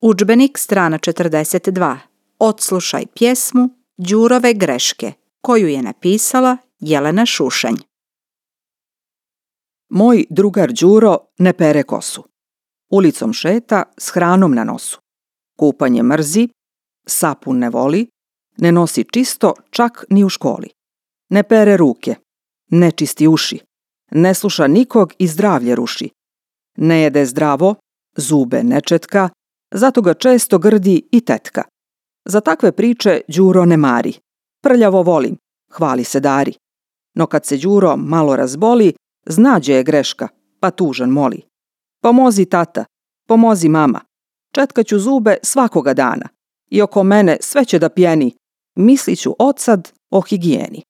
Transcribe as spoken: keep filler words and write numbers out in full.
Udžbenik, strana četrdeset dva. Odslušaj pjesmu Đurove greške, koju je napisala Jelena Šušanj. Moj drugar Đuro ne pere kosu. Ulicom šeta s hranom na nosu. Kupanje mrzi, sapun ne voli, ne nosi čisto čak ni u školi. Ne pere ruke, ne čisti uši, ne sluša nikog i zdravlje ruši. Ne jede zdravo, zube ne četka, zato ga često grdi i tetka. Za takve priče Đuro ne mari. Prljavo volim, hvali se dari. No kad se Đuro malo razboli, zna gdje je greška, pa tužan moli. Pomozi tata, pomozi mama, četkaću zube svakoga dana i oko mene sve će da pjeni, mislit ću odsad o higijeni.